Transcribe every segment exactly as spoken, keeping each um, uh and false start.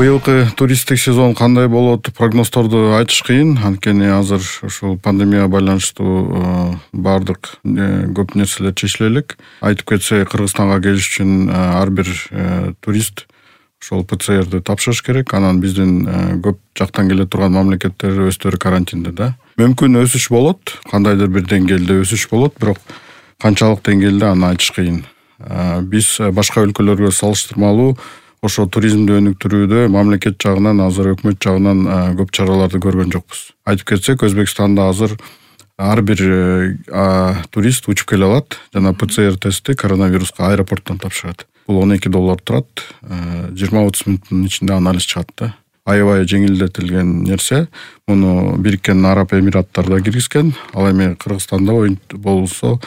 Быйылкы туристтик сезон кандай болот, прогноздорду айтыш кыйын. Анткени азыр ушул пандемияга байланыштуу баардык көп нерселер чечиле элек. Айтып кетсек, Кыргызстанга келиш үчүн ар бир турист ошол ПЦРди тапшырыш керек. Анан биздин көп жактан келе турган мамлекеттер өздөрү карантинде да. Мүмкүн өсүш болот, кандайдыр бир деңгээлде өсүш болот, бирок канчалык деңгээлде аны айтыш кыйын. Биз башка өлкөлөргө салыштырмалуу ошо туризмди өнүктүрүүдө мамлекет жагынан, азыр өкмөт жагынан көп чараларды көргөн жокпуз. Айтып кетсек, Өзбекстанда азыр ар бир турист учуп келе алат жана ПЦР тестти коронавируска аэропорттон тапшырат. Бул он эки доллар турат, жыйырма отуз мүнөттүн ичинде анализ чыгат да. Аябай жеңилдетилген нерсе. Муну Бириккен Араб Эмираттарда киргизген, ал эми Кыргызстанда болсо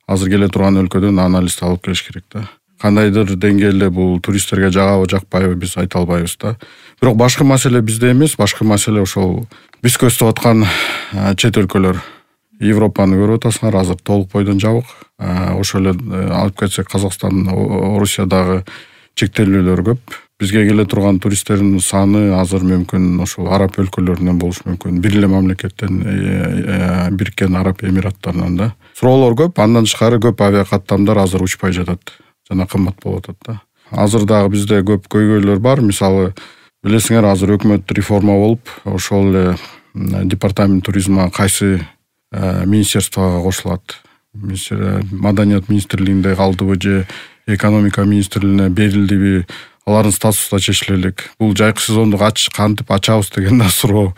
азыр келе турган өлкөдөн анализди алып келиш керек да. Кандайдыр деңгээлде бул туристтерге жагабы, жакпайбы биз айта албайбыз да. Бирок башкы маселе бизде эмес, башкы маселе ошол биз көздөп аткан чет өлкөлөр. Европаны көрүп атасыңар, азыр толук бойдон жабык. Ошол эле алып кетсек, Казакстан, Орусиядагы чектелүүлөр көп. Бизге келе турган туристтердин саны азыр мүмкүн ошол араб өлкөлөрүнөн болушу мүмкүн. Бир эле мамлекеттен, Бириккен Араб Эмираттарынан да. Суроолор көп, андан тышкары көп авиакаттамдар азыр учпай жатат жана кымбат болуп атат да. Азыр дагы бизде көп көйгөйлөр бар. Мисалы, билесиңер, азыр өкмөт реформа болуп, ошол эле департамент туризма кайсы министерствого кошулат. Маданият министрлигинде калдыбы же экономика министрлигине берилдиби, алардын статусу да чечиле элек. Бул жайкы сезонду кантип ачабыз деген да суроо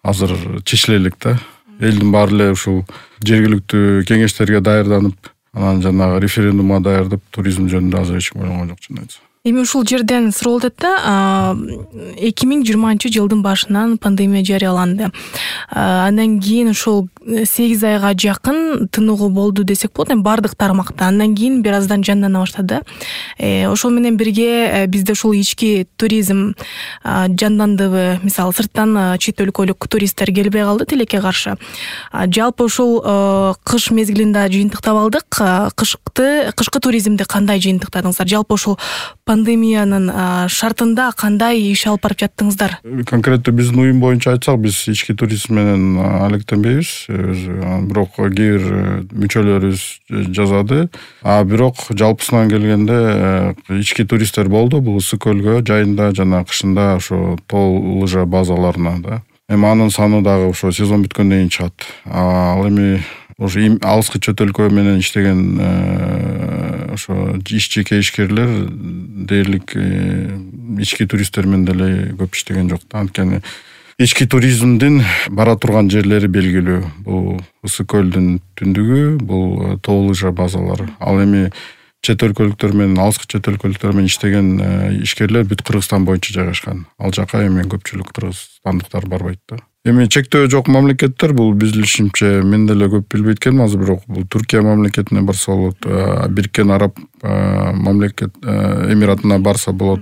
азыр чечиле элек да. Элдин баары эле ушул жергиликтүү кеңештерге даярданып, анан жанагы референдумга даярдап, туризм жөнүндө азыр эч ким ойлогон жок, чын айтсам. Эми ушул жерден суроо өтөт да, эки миң жыйырманчы жылдын башынан пандемия жарыяланды. Андан кийин ушул сегиз айга жакын тыныгуу болду десек болот, эми бардык тармакта. Андан кийин бир аздан жандана баштады. Ошол менен бирге бизде ушул ички туризм жандандыбы, мисалы сырттан чет өлкөлүк туристтер келбей калды тилекке каршы. Жалпы ушул кыш мезгилинде жыйынтыктап алдык. Кышкы кышкы туризмди кандай жыйынтыктадыңыздар? Жалпы ушул пандемиянын шартында кандай иш алып барып жаттыңыздар? Конкреттүү биздин уюм боюнча айтсак, биз ички туризм менен алектенбейбиз. Бирок кээ бир мүчөлөрүбүз жазады. А бирок жалпысынан келгенде ички туристтер болду. Бул ысык көлгө жайында жана кышында ошо тоо лыжа базаларына да. Эми анын саны дагы ошо сезон бүткөндөн кийин чыгат. Ал эми ошо алыскы чет өлкө менен иштеген ошо иш-жеке ишкерлер дээрлик ички туристтер менен деле көп иштеген жок да. Анткени ички туризмдин бара турган жерлери белгилүү. Бул ысык көлдүн түндүгү, бул тоо лыжа базалары. Ал эми чет өлкөлүктөр менен, алыскы чет өлкөлүктөр менен иштеген ишкерлер бүт Кыргызстан боюнча жайгашкан. Ал жака эми көпчүлүк кыргызстандыктар барбайт да. Эми чектөө жок мамлекеттер, бул биз билишимче мен деле көп билбейт экенмин азыр, бирок бул Түркия мамлекетине барса болот, Бириккен Араб мамлекет Эмиратына барса болот,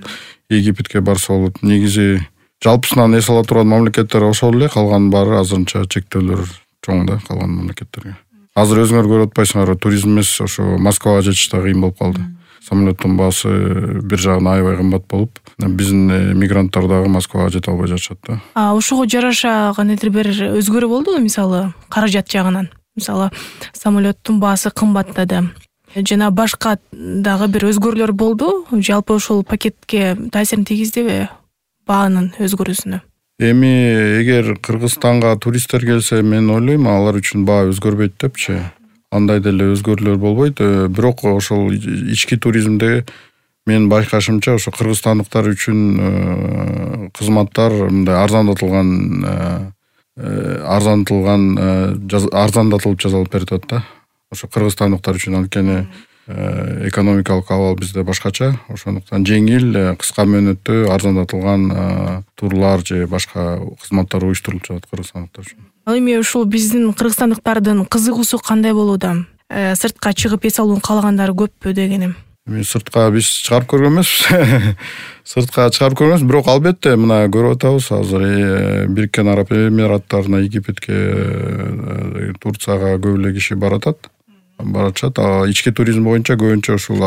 Египетке барса болот. Негизи жалпысынан эс ала турган мамлекеттер ошол эле, калган баары азырынча чектөөлөр чоң да калган мамлекеттерге. Азыр өзүңөр көрүп атпайсыңар, туризм эмес, ошо Москвага жетиш да кыйын болуп калды. Самолеттун баасы бир жагынан аябай кымбат болуп, биздин мигранттар дагы Москвага жете албай жатышат да. А ошого жараша кандайдыр бир өзгөрүү болдубу, мисалы, каражат жагынан? Мисалы, самолеттун баасы кымбаттады. Жана башка дагы бир өзгөрүүлөр болду. Жалпы ошол пакетке таасирин тийгиздиби баанын өзгөрүүсүнө? Эми эгер Кыргызстанга туристтер келсе, мен ойлойм, алар үчүн баа өзгөрбөйт депчи. Андай деле өзгөрүүлөр болбойт. Бирок ошол ички туризмде мен байкашымча ошо кыргызстандыктар үчүн кызматтар мындай арзандатылган арзандатылган арзандатылып жасалып берилет да. Ошо кыргызстандыктар үчүн, анткени экономикалык абал бизде башкача. Ошондуктан жеңил, кыска мөөнөттө арзандатылган турлар же башка кызматтар уюштурулуп жатат кыргызстандыктар үчүн. Ал эми ушул биздин кыргызстандыктардын кызыгуусу кандай болууда? Сыртка чыгып эс алууну каалагандары көппү дегеним. Эми сыртка биз чыгарып көргөн эмеспиз. Сыртка чыгарып көргөн эмес, бирок албетте мына көрүп атабыз азыр Бириккен Араб Эмираттарына, Египетке, Турцияга көп эле киши баратат. Баратат. Ички туризм боюнча көбүнчө ушул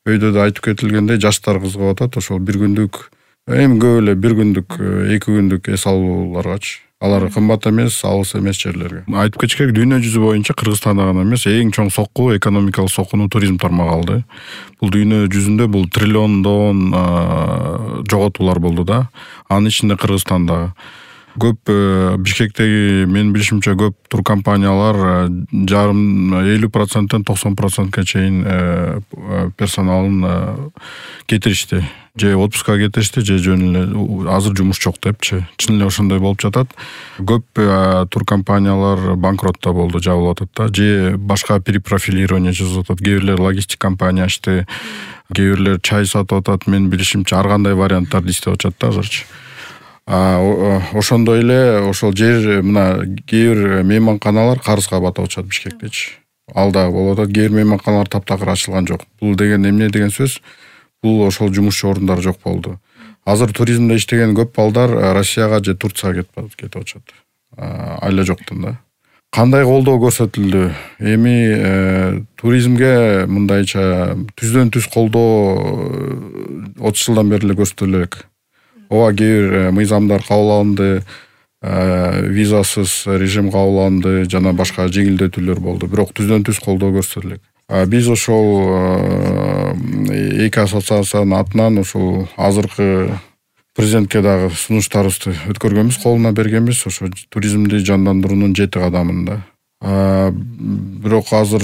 өйдө да айтып кетилгендей жаштар кызыгып атат. Ошол бир күндүк Эми көп эле бир күндүк, эки күндүк эс алууларгачы. Алар кымбат эмес, алыс эмес жерлерге. Айтып кетиш керек, дүйнө жүзү боюнча Кыргызстанда гана эмес, эң чоң сокку, экономикалык соккуну туризм тармагы алды. Бул дүйнө жүзүндө бул триллиондон жоготуулар болду да. Анын ичинде Кыргызстанда көп, Бишкектеги менин билишимче көп туркомпаниялар жарым элүү проценттен токсон процентке чейин персоналын кетиришти. Же отпускка кетиришти, же жөн эле азыр жумуш жок депчи. Чын эле ошондой болуп жатат. Көп туркомпаниялар банкротто болду, жабылып атат да. Же башка перепрофилирование жасап атат. Кээ бирлер логистик компания ачты, кээ бирлер чай сатып атат. Мен билишимче ар кандай варианттарды иштеп атышат да азырчы. Ошондой эле ошол жер мына кээ бир мейманканалар карызга батып атышат Бишкектечи. Ал дагы болуп атат. Кээ бир мейманканалар таптакыр ачылган жок. Бул деген эмне деген сөз? Бул ошол жумушчу орундары жок болду. Азыр туризмде иштеген көп балдар Россияга же Турцияга кетип атышат. Айла жоктун да. Кандай колдоо көрсөтүлдү? Эми туризмге мындайча түздөн түз колдоо отуз жылдан бери эле көрсөтүлө элек. Ооба, кээ бир мыйзамдар кабыл алынды, визасыз режим кабыл алынды, жана башка жеңилдетүүлөр болду. Бирок түздөн түз колдоо көрсөтүлө элек. Биз ошол эки ассоциациянын атынан ошол азыркы президентке дагы сунуштарыбызды өткөргөнбүз, колуна бергенбиз, ошо туризмди жандандыруунун жети кадамын да. Бирок азыр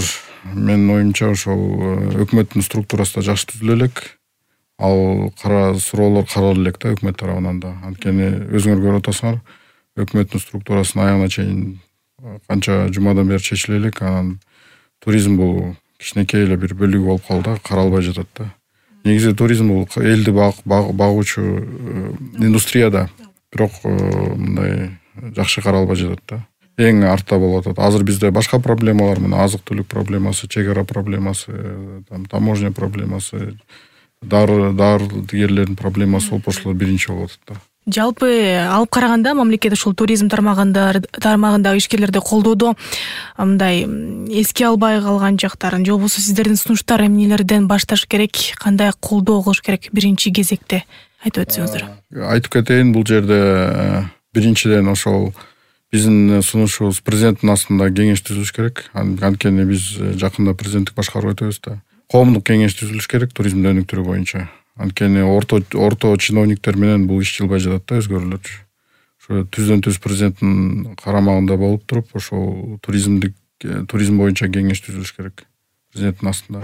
менин оюмча ошол өкмөттүн структурасы да жакшы түзүлө элек. Ал кара суроолор каралып элек да өкмөт тарабынан да. Анткени өзүңөр көрүп атасыңар, өкмөттүн структурасын аягына чейин канча жумадан бери чечиле элек. Анан туризм бул кичинекей эле бир бөлүгү болуп калды, каралбай жатат да. Негизи туризм бул элди багуучу индустрия да. Бирок мындай жакшы каралбай жатат да. Эң артта болуп атат. Азыр бизде башка проблемалар, мына азык-түлүк проблемасы, чек ара проблемасы, таможня проблемасы, дары дарыгерлердин проблемасы болуп ошолор биринчи болуп атат да. Жалпы алып караганда мамлекет ушул туризм тармагында тармагындагы ишкерлерди колдоодо мындай эске албай калган жактарын, же болбосо сиздердин сунуштар эмнелерден башташ керек, кандай колдоо кылыш керек биринчи кезекте айтып өтсөңүздөр. Айтып кетейин, бул жерде биринчиден ошол биздин сунушубуз президенттин астында кеңеш түзүлүш керек. Анткени биз жакында президенттик башкарып өтөбүз да. Коомдук кеңеш түзүлүш керек туризмдин өнүктүрүү боюнча. Анткени орто орто чиновниктер менен бул иш жылбай жатат да, өзгөрүүлөр. Ошо түздөн түз президенттин карамагында болуп туруп, ошол туризмдик туризм боюнча кеңеш түзүлүш керек президенттин астында.